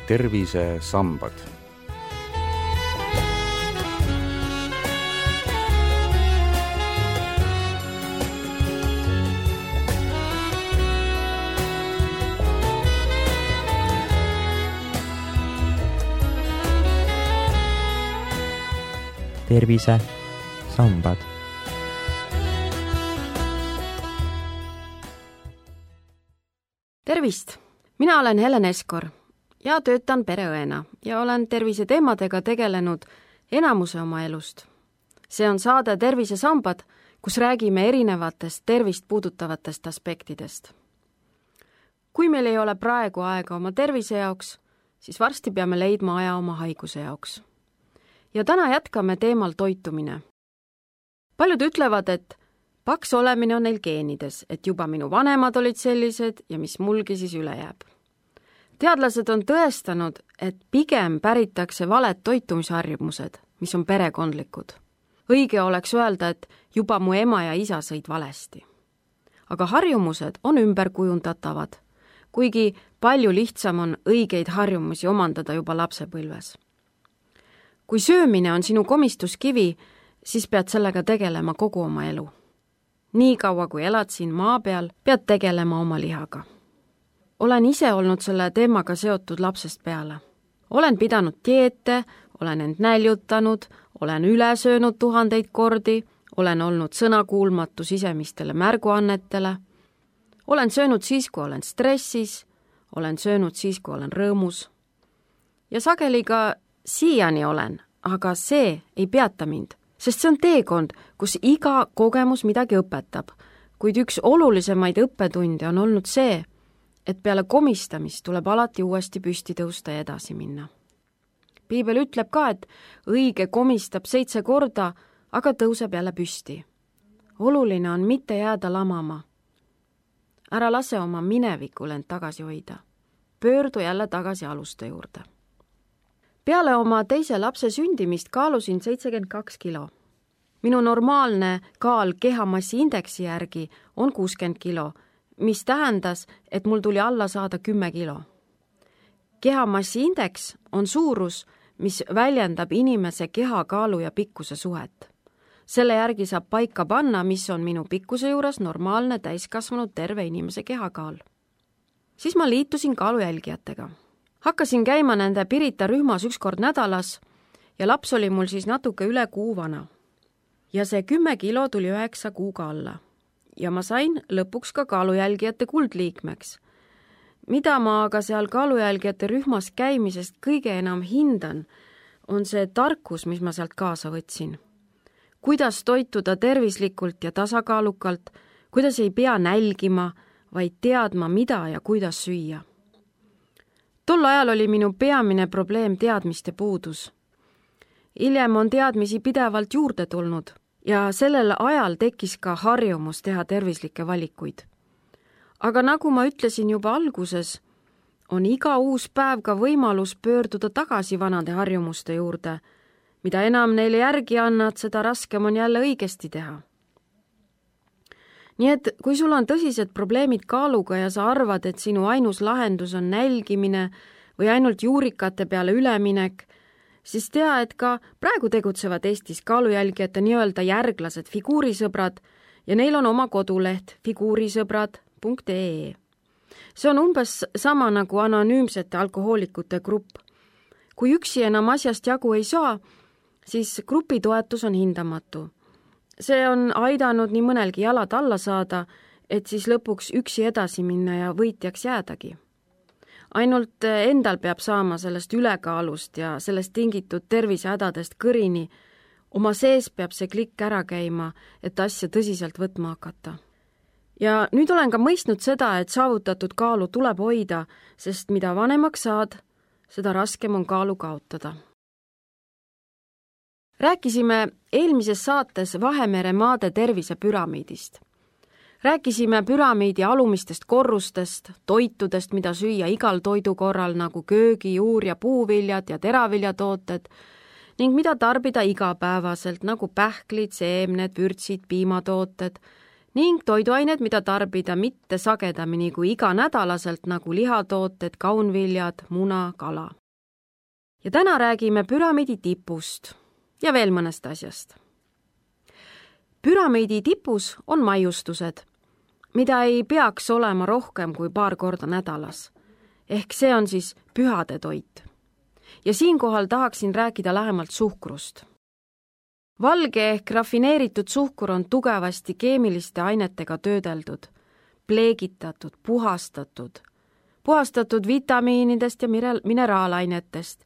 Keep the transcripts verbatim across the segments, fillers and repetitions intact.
tervisesambad. tervisesambad. Tervist! Mina olen Helen Eskor ja töötan pereõena ja olen terviseteemadega tegelenud enamuse oma elust. See on saade Tervisesambad, kus räägime erinevatest tervist puudutavatest aspektidest. Kui meil ei ole praegu aega oma tervise jaoks, siis varsti peame leidma aja oma haiguse jaoks. Ja täna jätkame teemal toitumine. Paljud ütlevad, et paks olemine on neil geenides, et juba minu vanemad olid sellised ja mis mulgi siis üle jääb. Teadlased on tõestanud, et pigem päritakse valed toitumisharjumused, mis on perekondlikud. Õige oleks öelda, et juba mu ema ja isa sõid valesti. Aga harjumused on ümberkujundatavad, kuigi palju lihtsam on õigeid harjumusi omandada juba lapsepõlves. Kui söömine on sinu komistuskivi, siis pead sellega tegelema kogu oma elu. Nii kaua, kui elad siin maa peal, pead tegelema oma lihaga. Olen ise olnud selle teemaga seotud lapsest peale. Olen pidanud dieete, olen end näljutanud, olen üle söönud tuhandeid kordi, olen olnud sõnakuulmatu sisemistele märguannetele, olen söönud siis, kui olen stressis, olen söönud siis, kui olen rõõmus. Ja sageli ka siiani olen, aga see ei peata mind, sest see on teekond, kus iga kogemus midagi õpetab, kuid üks olulisemaid õppetunde on olnud see, et peale komistamist tuleb alati uuesti püsti tõusta ja edasi minna. Piibel ütleb ka, et õige komistab seitse korda, aga tõuseb jälle püsti. Oluline on mitte jääda lamama. Ära lase oma minevikul end tagasi hoida. Pöördu jälle tagasi aluste juurde. Peale oma teise lapse sündimist kaalusin seitsekümmend kaks kilo. Minu normaalne kaal kehamassi indeksi järgi on kuuskümmend kilo, mis tähendas, et mul tuli alla saada kümme kilo. Kehamassi indeks on suurus, mis väljendab inimese kehakaalu ja pikkuse suhet. Selle järgi saab paika panna, mis on minu pikkuse juures normaalne täiskasvanud terve inimese kehakaal. Siis ma liitusin kaalujälgijatega. Hakkasin käima nende Pirita rühmas üks kord nädalas ja laps oli mul siis natuke üle kuu vana. Ja see kümme kilo tuli üheksa kuuga alla. Ja ma sain lõpuks ka kaalujälgijate kuldliikmeks. Mida ma aga seal kaalujälgijate rühmas käimisest kõige enam hindan, on see tarkus, mis ma sealt kaasa võtsin. Kuidas toituda tervislikult ja tasakaalukalt, kuidas ei pea nälgima, vaid teadma, mida ja kuidas süüa. Tol ajal oli minu peamine probleem teadmiste puudus. Hiljem on teadmisi pidevalt juurde tulnud ja sellel ajal tekkis ka harjumus teha tervislikke valikuid. Aga nagu ma ütlesin juba alguses, on iga uus päev ka võimalus pöörduda tagasi vanade harjumuste juurde. Mida enam neile järgi annad, seda raskem on jälle õigesti teha. Nii et kui sul on tõsised probleemid kaaluga ja sa arvad, et sinu ainus lahendus on nälgimine või ainult juurikate peale üleminek, siis tea, et ka praegu tegutsevad Eestis kaalujälgijate nii-öelda järglased figuurisõbrad ja neil on oma koduleht figuurisõbrad punkt ee. See on umbes sama nagu anonüümsete alkohoolikute grupp. Kui üksi enam asjast jagu ei saa, siis grupi toetus on hindamatu. See on aidanud nii mõnelgi jalad alla saada, et siis lõpuks üksi edasi minna ja võitjaks jäädagi. Ainult endal peab saama sellest ülekaalust ja sellest tingitud tervisehädadest kõrini. Oma sees peab see klikk ära käima, et asja tõsiselt võtma hakata. Ja nüüd olen ka mõistnud seda, et saavutatud kaalu tuleb hoida, sest mida vanemaks saad, seda raskem on kaalu kaotada. Rääkisime eelmises saates Vahemere maade tervisepüramiidist. Rääkisime püramiidi alumistest korrustest, toitudest, mida süüa igal toidukorral nagu köögi, juur- ja puuviljad ja teraviljatooted ning mida tarbida igapäevaselt nagu pähklid, seemned, vürtsid, piimatooted ning toiduained, mida tarbida mitte sagedamini kui iganädalaselt, nagu lihatooted, kaunviljad, muna, kala. Ja täna räägime püramiidi tipust ja veel mõnest asjast. Püramiidi tipus on maiustused, mida ei peaks olema rohkem kui paar korda nädalas. Ehk see on siis pühade toit. Ja siinkohal tahaksin rääkida lähemalt suhkrust. Valge ehk rafineeritud suhkur on tugevasti keemiliste ainetega töödeldud, pleegitatud, puhastatud, puhastatud vitamiinidest ja mineraalainetest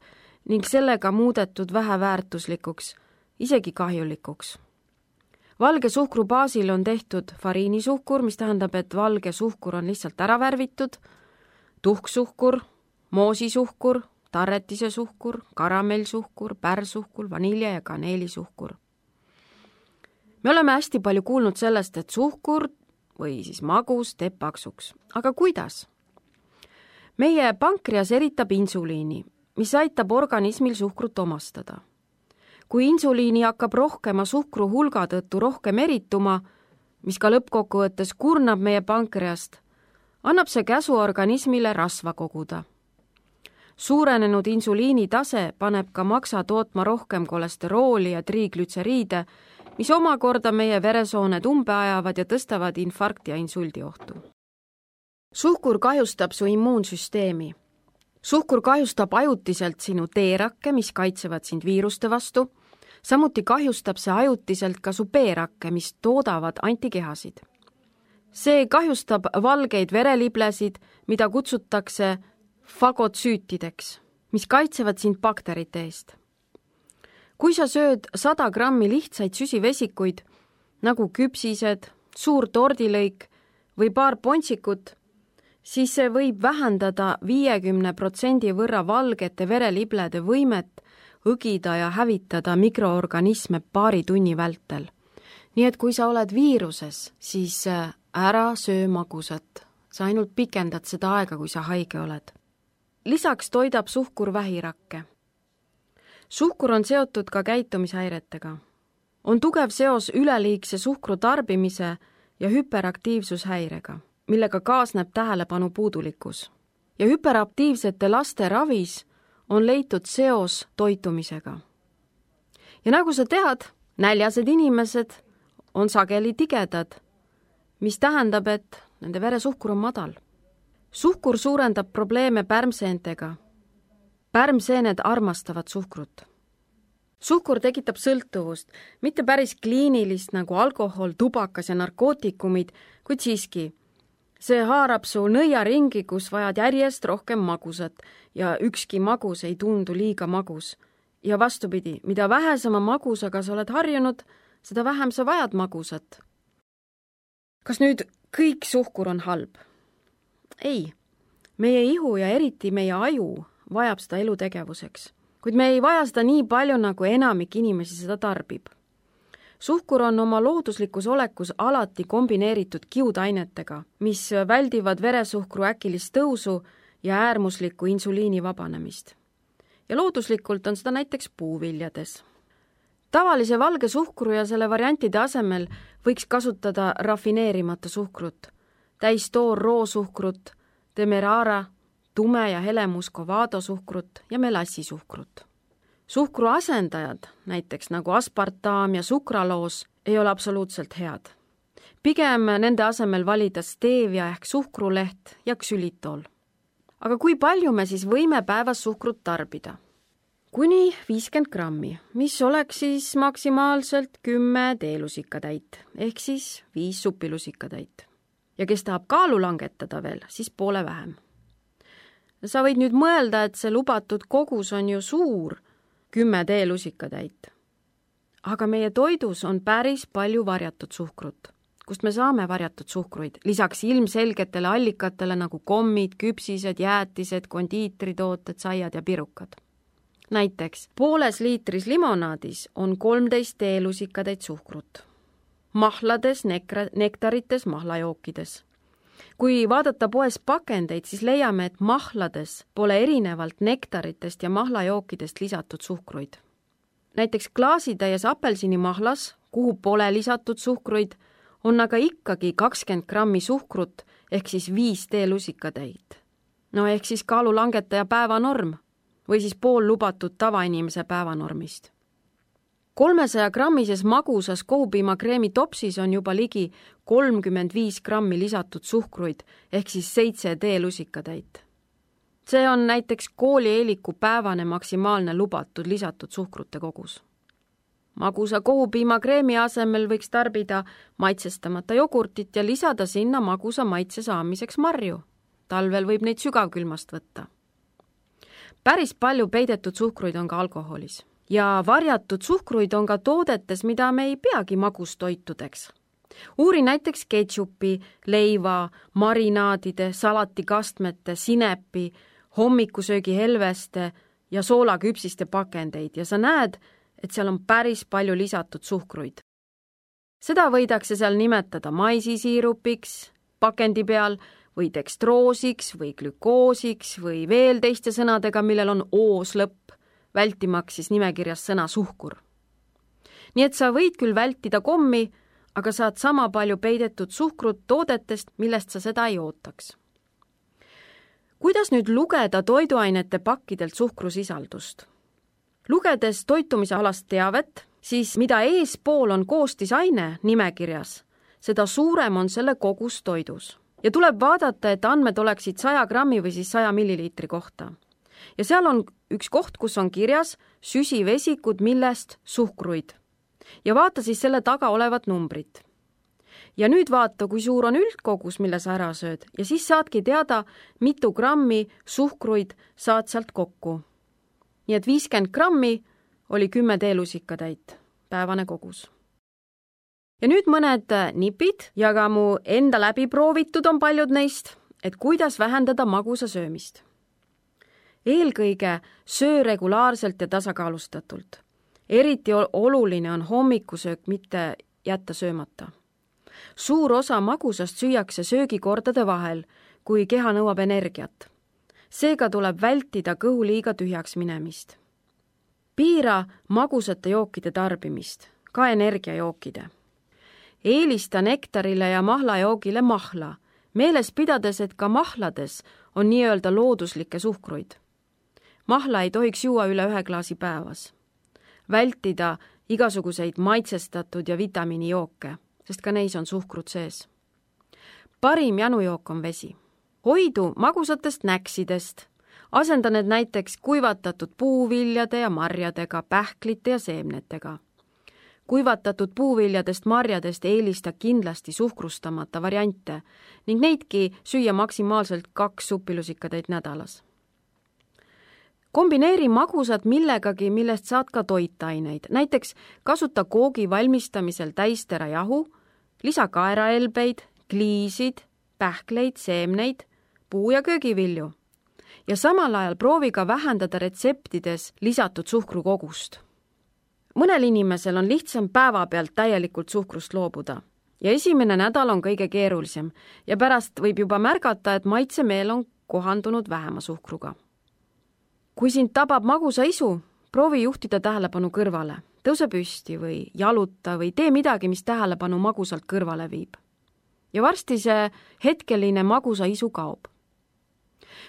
ning sellega muudetud väheväärtuslikuks, isegi kahjulikuks. Valge suhkru baasil on tehtud fariinisuhkur, mis tähendab, et valge suhkur on lihtsalt ära värvitud, tuhksuhkur, moosisuhkur, tarretise suhkur, karamellsuhkur, pärsuhkur, vanilja ja kaneelisuhkur. Me oleme hästi palju kuulnud sellest, et suhkur või siis magus teeb paksuks. Aga kuidas? Meie pankreas eritab insuliini, mis aitab organismil suhkrut omastada. Kui insuliini hakkab rohkema suhkru hulga tõttu rohkem erituma, mis ka lõppkokkuvõttes kurnab meie pankreast, annab see käsu organismile rasva koguda. Suurenenud insuliini tase paneb ka maksa tootma rohkem kolesterooli ja triiglütseriide, mis omakorda meie veresooned umbe ajavad ja tõstavad infarkti ja insuldi ohtu. Suhkur kahjustab su immuunsüsteemi. Suhkur kahjustab ajutiselt sinu T-rakke, mis kaitsevad sind viiruste vastu. Samuti kahjustab see ajutiselt ka su B-rakke, mis toodavad antikehasid. See kahjustab valgeid vereliblesid, mida kutsutakse fagotsüütideks, mis kaitsevad sind bakterite eest. Kui sa sööd sada grammi lihtsaid süsivesikuid, nagu küpsised, suur tordilõik või paar pontsikut, siis see võib vähendada viiekümne protsendi võrra valgete vereliblede võimet õgida ja hävitada mikroorganisme paari tunni vältel. Nii et kui sa oled viiruses, siis ära söö magusat. Sa ainult pikendad seda aega, kui sa haige oled. Lisaks toidab suhkur vähirakke. Suhkur on seotud ka käitumishäiretega. On tugev seos üleliigse suhkru tarbimise ja hüperaktiivsushäirega, millega kaasneb tähelepanu puudulikkus. Ja hüperaktiivsete laste ravis on leitud seos toitumisega. Ja nagu sa tead, näljased inimesed on sageli tigedad, mis tähendab, et nende veresuhkur on madal. Suhkur suurendab probleeme pärmseentega. Pärmseened armastavad suhkrut. Suhkur tekitab sõltuvust, mitte päris kliinilist nagu alkohol, tubakas ja narkootikumid, kuid siiski. See haarab su nõiaringi, kus vajad järjest rohkem magusat ja ükski magus ei tundu liiga magus. Ja vastupidi, mida vähesema magusaga sa oled harjunud, seda vähem sa vajad magusat. Kas nüüd kõik suhkur on halb? Ei, meie ihu ja eriti meie aju vajab seda elutegevuseks, kuid me ei vaja seda nii palju, nagu enamik inimesi seda tarbib. Suhkur on oma looduslikus olekus alati kombineeritud kiudainetega, mis väldivad veresuhkru äkilist tõusu ja äärmuslikku insuliini vabanemist. Ja looduslikult on seda näiteks puuviljades. Tavalise valge suhkru ja selle variantide asemel võiks kasutada rafineerimata suhkrut, täistoor roosuhkrut, demerara, tume ja helemuscovado suhkrut ja melassisuhkrut. Suhkru asendajad, näiteks nagu aspartaam ja sukraloos, ei ole absoluutselt head. Pigem nende asemel valida stevia ehk suhkruleht ja ksülitol. Aga kui palju me siis võime päevas suhkrut tarbida? Kuni viiskümmend grammi, mis oleks siis maksimaalselt kümme teelusikatäit, ehk siis viis supilusikatäit. Ja kes tahab kaalu langetada veel, siis poole vähem. Sa võid nüüd mõelda, et see lubatud kogus on ju suur, kümme teelusikatäit. Aga meie toidus on päris palju varjatud suhkrut, kust me saame varjatud suhkruid, lisaks ilmselgetele allikatele nagu kommid, küpsised, jäätised, kondiitritooted, saiad ja pirukad. Näiteks pooles liitris limonaadis on kolmteist teelusikatäit suhkrut. Mahlades, nekra, nektarites, mahlajookides. Kui vaadata poes pakendeid, siis leiame, et mahlades pole erinevalt nektaritest ja mahlajookidest lisatud suhkruid. Näiteks klaasitäies apelsinimahlas, kuhu pole lisatud suhkruid, on aga ikkagi kakskümmend grammi suhkrut ehk siis viis teelusikatäit. No ehk siis kaalulangetaja päevanorm või siis pool lubatud tavainimese päevanormist. kolmesaja grammises magusas kohupiimakreemi topsis on juba ligi kolmkümmend viis grammi lisatud suhkruid ehk siis seitse teelusikatäit. See on näiteks koolieeliku päevane maksimaalne lubatud lisatud suhkrute kogus. Magusa kohupiimakreemi asemel võiks tarbida maitsestamata jogurtit ja lisada sinna magusa maitse saamiseks marju. Talvel võib neid sügavkülmast võtta. Päris palju peidetud suhkruid on ka alkoholis ja varjatud suhkruid on ka toodetes, mida me ei peagi magustoitudeks. Uuri näiteks ketšupi, leiva, marinaadide, salatikastmete, sinepi, hommikusöögi helveste ja soolaküpsiste pakendeid ja sa näed, et seal on päris palju lisatud suhkruid. Seda võidakse seal nimetada maisisiirupiks pakendi peal või dekstroosiks või glükoosiks või veel teiste sõnadega, millel on oos lõpp, vältimaks siis nimekirjas sõna suhkur. Nii et sa võid küll vältida kommi, aga saad sama palju peidetud suhkrut toodetest, millest sa seda ei ootaks. Kuidas nüüd lugeda toiduainete pakkidelt suhkrusisaldust? Lugedes toitumise alast teavet, siis mida eespool on koostisaine nimekirjas, seda suurem on selle kogus toidus. Ja tuleb vaadata, et andmed oleksid saja grammi või siis saja milliliitri kohta. Ja seal on üks koht, kus on kirjas süsivesikud, millest suhkruid. Ja vaata siis selle taga olevat numbrit. Ja nüüd vaata, kui suur on üldkogus, mille sa ära sööd, ja siis saadki teada, mitu grammi suhkruid saad sealt kokku. Nii et viiskümmend grammi oli kümme teelusikatäit, päevane kogus. Ja nüüd mõned nipid ja ka mu enda läbi proovitud on paljud neist, et kuidas vähendada magusa söömist. Eelkõige söö regulaarselt ja tasakaalustatult. Eriti oluline on hommikusöök mitte jätta söömata. Suur osa magusast süüakse söögikordade vahel, kui keha nõuab energiat. Seega tuleb vältida kõhu liiga tühjaks minemist. Piira magusate jookide tarbimist, ka energiajookide. Eelista nektarile ja mahlajoogile mahla, meeles pidades, et ka mahlades on nii-öelda looduslikke suhkruid. Mahla ei tohiks juua üle ühe klaasi päevas. Vältida igasuguseid maitsestatud ja vitamiinijooke, sest ka neis on suhkrut sees. Parim janujook on vesi. Hoidu magusatest näksidest. Asenda need näiteks kuivatatud puuviljade ja marjadega, pähklite ja seemnetega. Kuivatatud puuviljadest marjadest eelista kindlasti suhkrustamata variante ning neidki süüa maksimaalselt kaks supilusikatäit nädalas. Kombineeri magusad millegagi, millest saad ka toitaineid. Näiteks kasuta koogi valmistamisel täisterajahu, lisa kaeraelbeid, kliisid, pähkleid, seemneid, puu- ja köögivilju. Ja samal ajal proovi ka vähendada retseptides lisatud suhkrukogust. Mõnel inimesel on lihtsam päeva pealt täielikult suhkrust loobuda ja esimene nädal on kõige keerulisem ja pärast võib juba märgata, et maitsemeel on kohandunud vähema suhkruga. Kui sind tabab magusa isu, proovi juhtida tähelepanu kõrvale, tõuse püsti või jaluta või tee midagi, mis tähelepanu magusalt kõrvale viib. Ja varsti see hetkeline magusa isu kaob.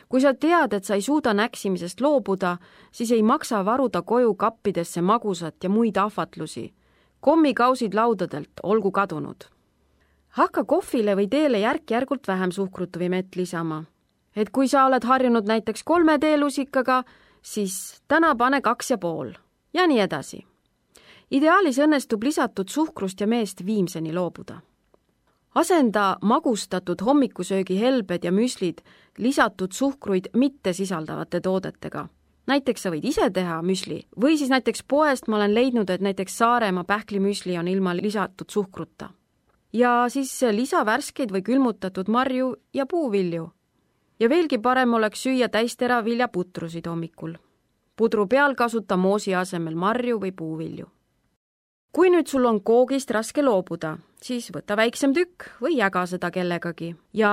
Kui sa tead, et sa ei suuda näksimisest loobuda, siis ei maksa varuda koju kappidesse magusat ja muid ahvatlusi. Kommikausid laudadelt olgu kadunud. Hakka kohvile või teele järk-järgult vähem suhkrut või mett lisama. Et kui sa oled harjunud näiteks kolme teelusikaga, siis täna pane kaks ja pool ja nii edasi. Ideaalis õnnestub lisatud suhkrust ja meest viimseni loobuda. Asenda magustatud hommikusöögi helbed ja müslid lisatud suhkruid mitte sisaldavate toodetega. Näiteks sa võid ise teha müsli või siis näiteks poest ma olen leidnud, et näiteks Saaremaa pähklimüsli on ilma lisatud suhkruta. Ja siis lisa värskeid või külmutatud marju ja puuvilju. Ja veelgi parem oleks süüa täisteraviljaputrusid hommikul. Pudru peal kasuta moosi asemel marju või puuvilju. Kui nüüd sul on koogist raske loobuda, siis võta väiksem tükk või jaga seda kellegagi ja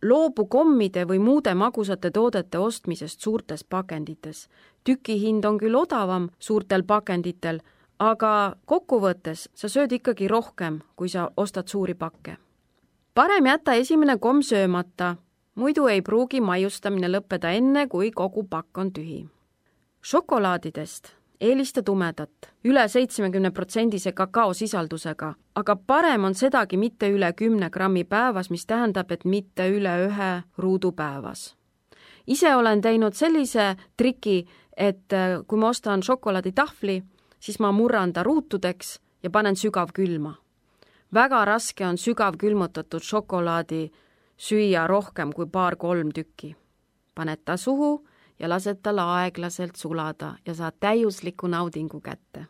loobu kommide või muude magusate toodete ostmisest suurtes pakendites. Tüki hind on küll odavam suurtel pakenditel, aga kokkuvõttes sa sööd ikkagi rohkem, kui sa ostad suuri pakke. Parem jätta esimene komm söömata, muidu ei pruugi maiustamine lõppeda enne, kui kogu pakk on tühi. Šokolaadidest eelista tumedat, üle seitsekümmend protsenti kakaosisaldusega, aga parem on sedagi mitte üle kümne grammi päevas, mis tähendab, et mitte üle ühe ruudu päevas. Ise olen teinud sellise triki, et kui ma ostan šokolaaditahvli, siis ma murran ta ruutudeks ja panen sügavkülma. Väga raske on sügavkülmutatud šokolaadi süüa rohkem kui paar-kolm tükki. Paned ta suhu ja lased tal aeglaselt sulada ja saad täiusliku naudingu kätte.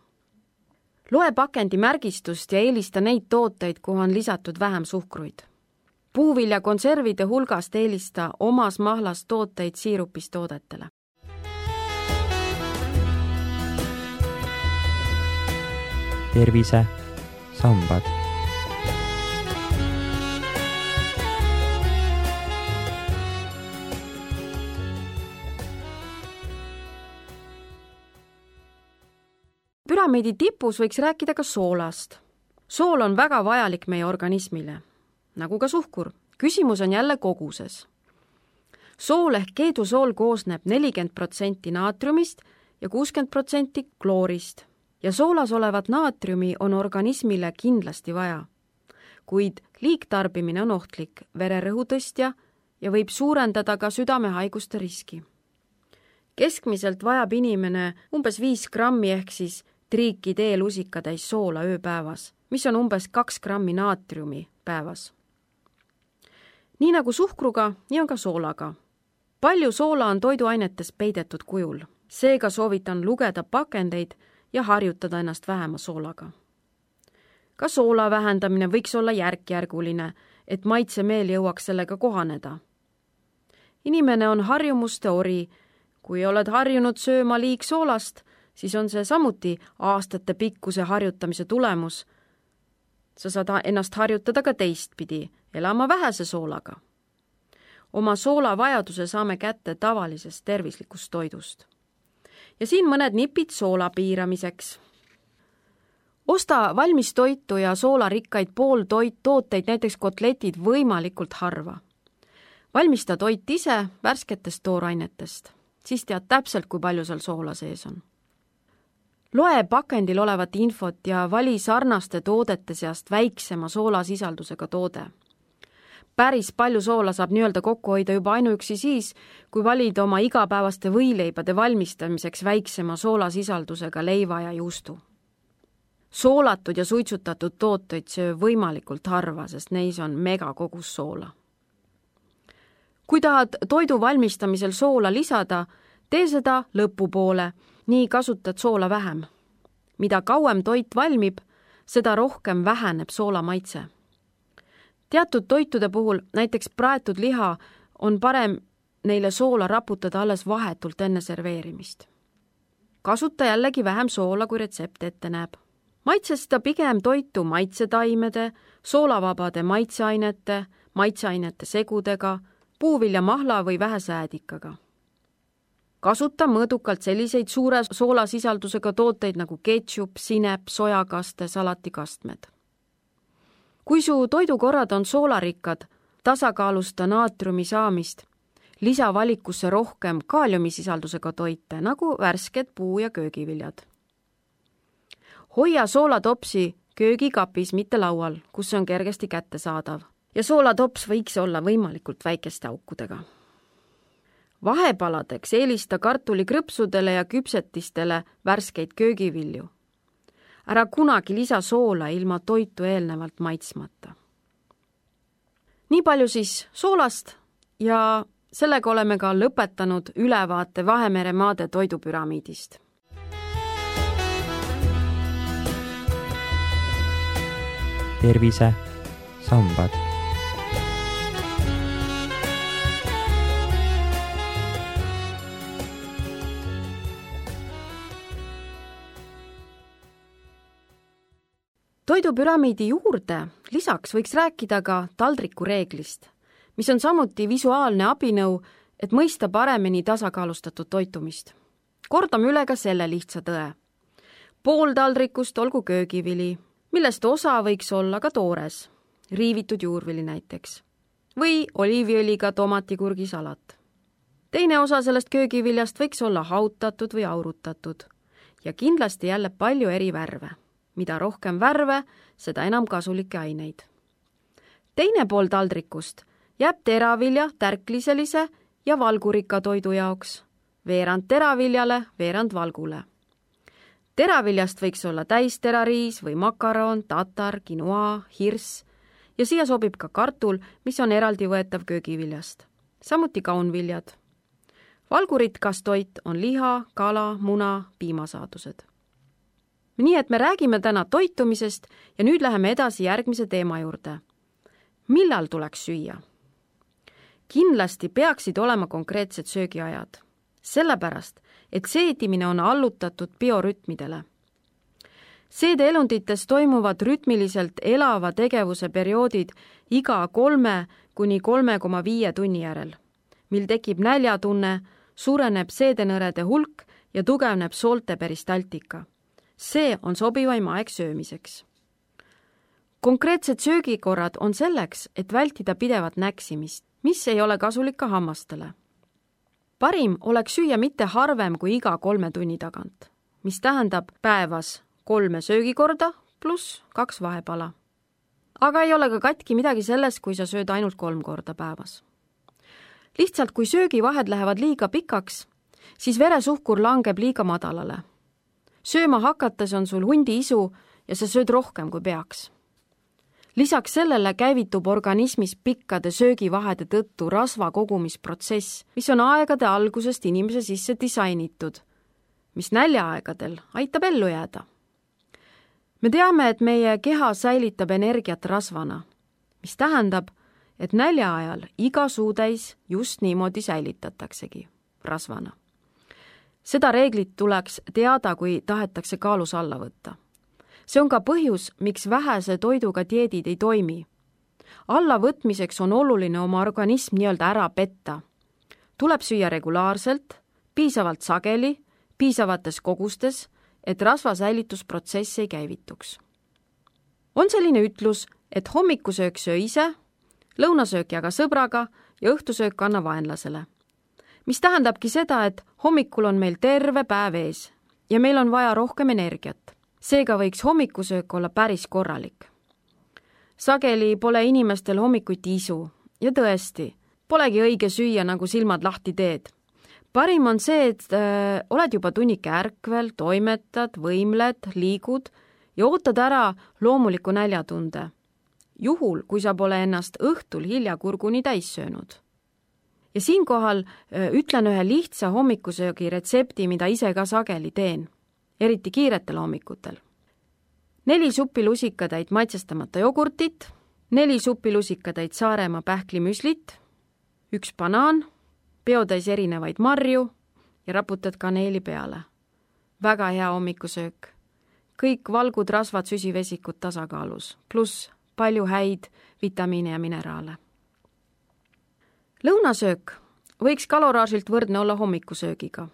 Loe pakendi märgistust ja eelista neid tooteid, kuhu on lisatud vähem suhkruid. Puuvilja konservide hulgast eelista omas mahlas tooteid siirupist toodetele. tervise sambad. Püramiidi tipus võiks rääkida ka soolast. Sool on väga vajalik meie organismile, nagu ka suhkur. Küsimus on jälle koguses. Sool ehk keedusool koosneb nelikümmend protsenti naatriumist ja kuuskümmend protsenti kloorist. Ja soolas olevat naatriumi on organismile kindlasti vaja, kuid liigtarbimine on ohtlik, vererõhu tõstja ja võib suurendada ka südamehaiguste riski. Keskmiselt vajab inimene umbes viis grammi ehk siis triiki teelusika täis soola ööpäevas, mis on umbes kaks grammi naatriumi päevas. Nii nagu suhkruga, nii on ka soolaga. Palju soola on toiduainetes peidetud kujul, seega soovitan lugeda pakendeid ja harjutada ennast vähema soolaga. Ka soola vähendamine võiks olla järk-järguline, et maitsemeel jõuaks sellega kohaneda. Inimene on harjumuste ori. Kui oled harjunud sööma liigsoolast, siis on see samuti aastate pikkuse harjutamise tulemus. Sa saad ennast harjutada ka teistpidi, elama vähese soolaga. Oma soolavajaduse saame kätte tavalisest tervislikust toidust. Ja siin mõned nipid soola piiramiseks. Osta valmis toitu ja soolarikkaid pooltoit tooteid, näiteks kotletid, võimalikult harva. Valmista toit ise värsketest toorainetest. Siis tead täpselt, kui palju seal soola sees on. Loe pakendil olevat infot ja vali sarnaste toodete seast väiksema soolasisaldusega toode. Päris palju soola saab nii-öelda kokku hoida juba ainuüksi siis, kui valid oma igapäevaste võileibade valmistamiseks väiksema soolasisaldusega leiva ja juustu. Soolatud ja suitsutatud tooteid söö võimalikult harva, sest neis on megakogus soola. Kui tahad toidu valmistamisel soola lisada, tee seda lõpupoole, nii kasutad soola vähem. Mida kauem toit valmib, seda rohkem väheneb soola maitse. Teatud toitude puhul, näiteks praetud liha, on parem neile soola raputada alles vahetult enne serveerimist. Kasuta jällegi vähem soola, kui retsept ette näeb. Maitsesta pigem toitu maitsetaimede, soolavabade maitseainete, maitseainete segudega, puuvilja mahla või vähesäädikaga. Kasuta mõõdukalt selliseid suure soolasisaldusega tooteid nagu ketšup, sinep, sojakaste, salatikastmed. Kui su toidukorrad on soolarikkad, tasakaalusta naatriumi saamist, lisa valikusse rohkem kaaliumisisaldusega toite, nagu värsked puu- ja köögiviljad. Hoia soolatopsi köögikapis, mitte laual, kus see on kergesti kättesaadav. Ja soolatops võiks olla võimalikult väikeste aukudega. Vahepaladeks eelista kartulikrõpsudele ja küpsetistele värskeid köögivilju. Ära kunagi lisa soola ilma toitu eelnevalt maitsmata. Nii palju siis soolast ja sellega oleme ka lõpetanud ülevaate Vahemere maade toidupüramiidist. tervise sambad. Toidupüramiidi juurde lisaks võiks rääkida ka taldriku reeglist, mis on samuti visuaalne abinõu, et mõista paremini tasakaalustatud toitumist. Kordame üle ka selle lihtsa tõe. Pool taldrikust olgu köögivili, millest osa võiks olla ka toores, riivitud juurvili näiteks, või oliiviõliga tomatikurgisalat. Teine osa sellest köögiviljast võiks olla hautatud või aurutatud ja kindlasti jälle palju eri värve. Mida rohkem värve, seda enam kasulikke aineid. Teine pool taldrikust jääb teravilja tärkliselise ja valgurikka toidu jaoks, veerand teraviljale, veerand valgule. Teraviljast võiks olla täisterariis või makaron, tatar, quinoa, hirss ja siia sobib ka kartul, mis on eraldi võetav köögiviljast. Samuti kaunviljad. Valgurikas toit on liha, kala, muna, piimasaadused. Nii et me räägime täna toitumisest ja nüüd läheme edasi järgmise teema juurde. Millal tuleks süüa? Kindlasti peaksid olema konkreetsed söögiajad, sellepärast, et seedimine on allutatud biorütmidele. Seedeelundites toimuvad rütmiliselt elava tegevuse perioodid iga kolme kuni kolme koma viie tunni järel, mil tekib näljatunne, suureneb seedenõrede hulk ja tugevneb soolte peristaltika. See on sobivaim aeg söömiseks. Konkreetsed söögikorrad on selleks, et vältida pidevat näksimist, mis ei ole kasulik ka hammastele. Parim oleks süüa mitte harvem kui iga kolme tunni tagant, mis tähendab päevas kolme söögikorda pluss kaks vahepala. Aga ei ole ka katki midagi selles, kui sa sööd ainult kolm korda päevas. Lihtsalt kui söögivahed lähevad liiga pikaks, siis veresuhkur langeb liiga madalale. Sööma hakates on sul hundi isu ja sa sööd rohkem kui peaks. Lisaks sellele käivitub organismis pikkade söögivahede tõttu rasva kogumisprotsess, mis on aegade algusest inimese sisse disainitud, mis näljaaegadel aitab ellu jääda. Me teame, et meie keha säilitab energiat rasvana, mis tähendab, et nälja ajal iga suutäis just niimoodi säilitataksegi rasvana. Seda reeglit tuleks teada, kui tahetakse kaalus alla võtta. See on ka põhjus, miks vähese toiduga dieedid ei toimi. Allavõtmiseks on oluline oma organism nii-öelda ära petta. Tuleb süüa regulaarselt, piisavalt sageli, piisavates kogustes, et rasvasäilitusprotsess ei käivituks. On selline ütlus, et hommikusöök söö ise, lõunasöök jaga sõbraga ja õhtusöök anna vaenlasele. Mis tähendabki seda, et hommikul on meil terve päev ees ja meil on vaja rohkem energiat. Seega võiks hommikusöök olla päris korralik. Sageli pole inimestel hommikuti isu ja tõesti, polegi õige süüa, nagu silmad lahti teed. Parim on see, et äh, oled juba tunnike ärkvel, toimetad, võimled, liigud ja ootad ära loomuliku näljatunde. Juhul, kui sa pole ennast õhtul hilja kurguni täis söönud. Ja siinkohal ütlen ühe lihtsa hommikusöögi retsepti, mida ise ka sageli teen, eriti kiiretel hommikutel. Neli supilusikatäit maitsestamata jogurtit, neli supilusikatäit Saaremaa pähklimüslit, üks banaan, peotäis erinevaid marju ja raputad kaneeli peale. Väga hea hommikusöök. Kõik valgud, rasvad, süsivesikud tasakaalus, pluss palju häid vitamiine ja mineraale. Lõunasöök võiks kaloraažilt võrdne olla hommikusöögiga.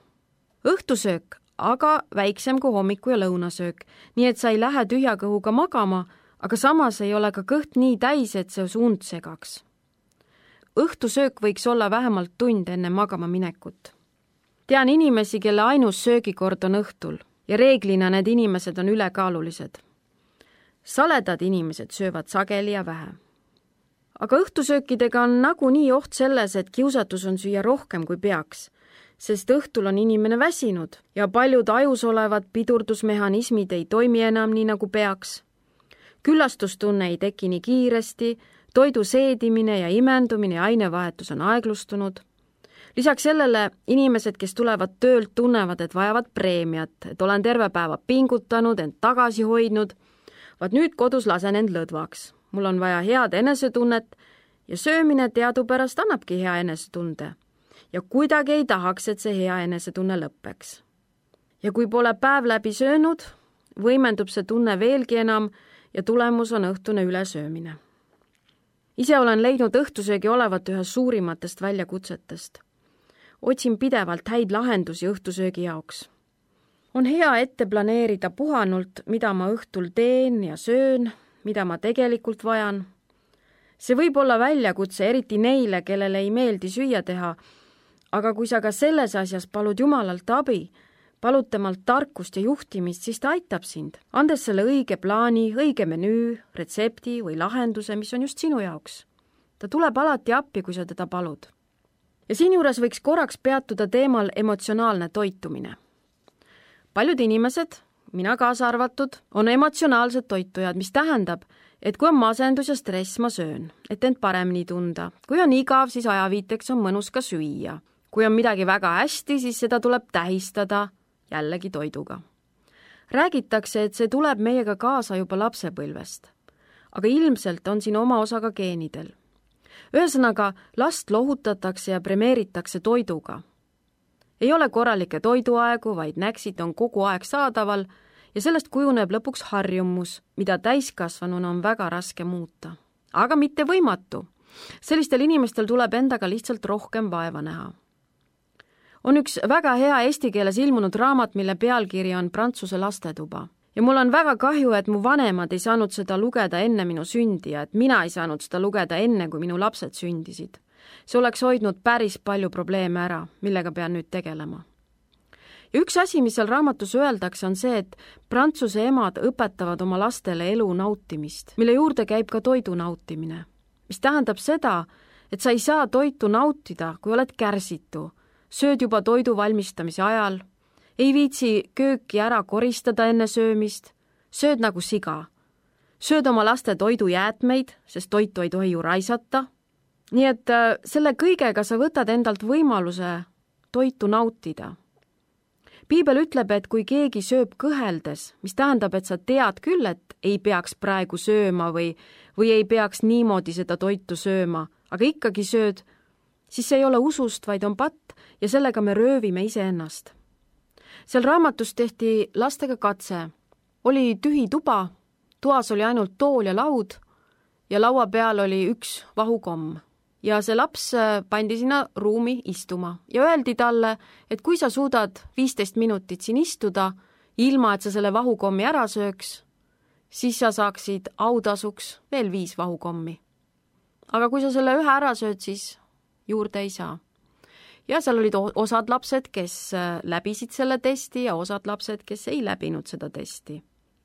Õhtusöök aga väiksem kui hommiku ja lõunasöök, nii et sa ei lähe tühja kõhuga magama, aga samas ei ole ka kõht nii täis, et see suund segaks. Õhtusöök võiks olla vähemalt tund enne magama minekut. Tean inimesi, kelle ainus söögikord on õhtul ja reeglina need inimesed on ülekaalulised. Saledad inimesed söövad sageli ja vähe. Aga õhtusöökidega on nagunii oht selles, et kiusatus on süüa rohkem kui peaks, sest õhtul on inimene väsinud ja paljud ajus olevad pidurdusmehhanismid ei toimi enam nii nagu peaks. Küllastustunne ei teki nii kiiresti, toidu seedimine ja imendumine ja ainevahetus on aeglustunud. Lisaks sellele inimesed, kes tulevad töölt, tunnevad, et vajavad preemiat, et olen terve päeva pingutanud, end tagasi hoidnud, vaat nüüd kodus lasen end lõdvaks. Mul on vaja head enesetunnet ja söömine teadupärast annabki hea enesetunde. Ja kuidagi ei tahaks, et see hea enesetunne lõppeks. Ja kui pole päev läbi söönud, võimendub see tunne veelgi enam ja tulemus on õhtune ülesöömine. Ise olen leidnud õhtusöögi olevat ühe suurimatest väljakutsetest. Otsin pidevalt häid lahendusi õhtusöögi jaoks. On hea ette planeerida puhanult, mida ma õhtul teen ja söön, mida ma tegelikult vajan. See võib olla väljakutse eriti neile, kellele ei meeldi süüa teha, aga kui sa ka selles asjas palud Jumalalt abi, palud temalt tarkust ja juhtimist, siis ta aitab sind, andes selle õige plaani, õige menüü, retsepti või lahenduse, mis on just sinu jaoks. Ta tuleb alati appi, kui sa teda palud. Ja siinjuures võiks korraks peatuda teemal emotsionaalne toitumine. Paljud inimesed, mina kaasa arvatud, on emotsionaalsed toitujad, mis tähendab, et kui on masendus ja stress, ma söön, et end paremini tunda. Kui on igav, siis ajaviiteks on mõnus ka süüa. Kui on midagi väga hästi, siis seda tuleb tähistada jällegi toiduga. Räägitakse, et see tuleb meiega kaasa juba lapsepõlvest, aga ilmselt on siin oma osa ka geenidel. Ühesõnaga, last lohutatakse ja premeeritakse toiduga. Ei ole korralikke toiduaegu, vaid näksid on kogu aeg saadaval ja sellest kujuneb lõpuks harjumus, mida täiskasvanuna on väga raske muuta. Aga mitte võimatu. Sellistel inimestel tuleb endaga lihtsalt rohkem vaeva näha. On üks väga hea eesti keeles ilmunud raamat, mille pealkiri on Prantsuse lastetuba. Ja mul on väga kahju, et mu vanemad ei saanud seda lugeda enne minu sündi ja et mina ei saanud seda lugeda enne, kui minu lapsed sündisid. See oleks hoidnud päris palju probleeme ära, millega pean nüüd tegelema. Ja üks asi, mis seal raamatus öeldakse, on see, et Prantsuse emad õpetavad oma lastele elu nautimist, mille juurde käib ka toidu nautimine. Mis tähendab seda, et sa ei saa toitu nautida, kui oled kärsitu, sööd juba toidu valmistamise ajal, ei viitsi kööki ära koristada enne söömist, sööd nagu siga. Sööd oma laste toidujäätmeid, sest toitu ei tohi ju raisata. Nii et selle kõigega sa võtad endalt võimaluse toitu nautida. Piibel ütleb, et kui keegi sööb kõheldes, mis tähendab, et sa tead küll, et ei peaks praegu sööma või, või ei peaks niimoodi seda toitu sööma, aga ikkagi sööd, siis see ei ole usust, vaid on patt ja sellega me röövime iseennast. Seal raamatus tehti lastega katse. Oli tühi tuba, toas oli ainult tool ja laud ja laua peal oli üks vahukomm. Ja see laps pandi sinna ruumi istuma ja öeldi talle, et kui sa suudad viisteist minutit siin istuda, ilma et sa selle vahukommi ära sööks, siis sa saaksid autasuks veel viis vahukommi. Aga kui sa selle ühe ära sööd, siis juurde ei saa. Ja seal olid osad lapsed, kes läbisid selle testi ja osad lapsed, kes ei läbinud seda testi.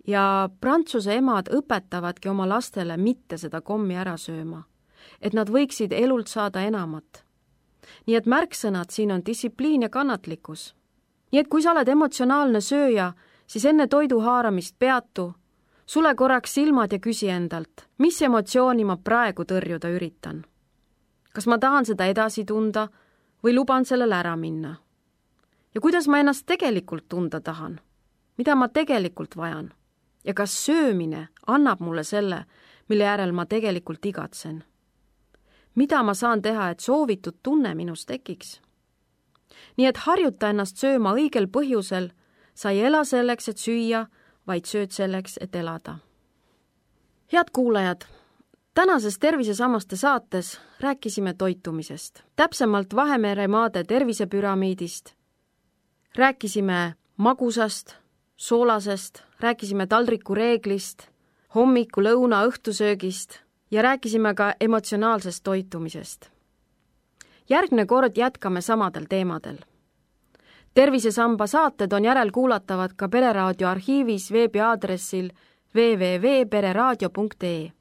Ja Prantsuse emad õpetavadki oma lastele mitte seda kommi ära sööma, et nad võiksid elult saada enamat. Nii et märksõnad siin on distsipliin ja kannatlikkus. Nii et kui sa oled emotsionaalne sööja, siis enne toidu haaramist peatu, sule korraks silmad ja küsi endalt, mis emotsiooni ma praegu tõrjuda üritan. Kas ma tahan seda edasi tunda või luban sellele ära minna? Ja kuidas ma ennast tegelikult tunda tahan? Mida ma tegelikult vajan? Ja kas söömine annab mulle selle, mille järel ma tegelikult igatsen? Mida ma saan teha, et soovitud tunne minus tekiks? Nii et harjuta ennast sööma õigel põhjusel, sa ei ela selleks, et süüa, vaid sööd selleks, et elada. Head kuulajad, tänases Tervisesammaste saates rääkisime toitumisest, täpsemalt Vahemere maade tervisepüramiidist, rääkisime magusast, soolasest, rääkisime taldriku reeglist, hommiku, lõuna, õhtusöögist ja rääkisime ka emotsionaalsest toitumisest. Järgmine kord jätkame samadel teemadel. Tervisesamba saated on järelkuulatavad ka Pereraadio arhiivis veebiaadressil w w w punkt pereraadio punkt e e.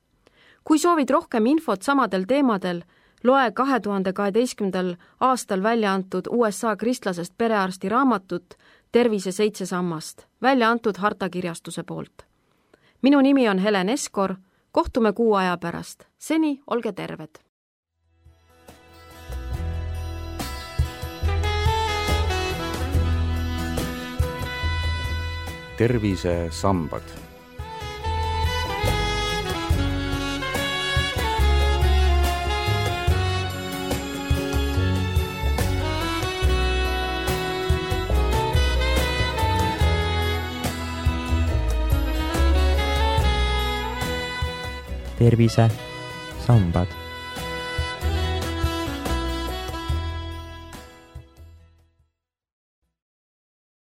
Kui soovid rohkem infot samadel teemadel, loe kahe tuhande kaheteistkümnendal aastal välja antud U S A kristlasest perearsti raamatut Tervise seitse sammast, välja antud Harta kirjastuse poolt. Minu nimi on Helen Eskor, kohtume kuu aja pärast. Seni olge terved! Tervisesambad. tervisesambad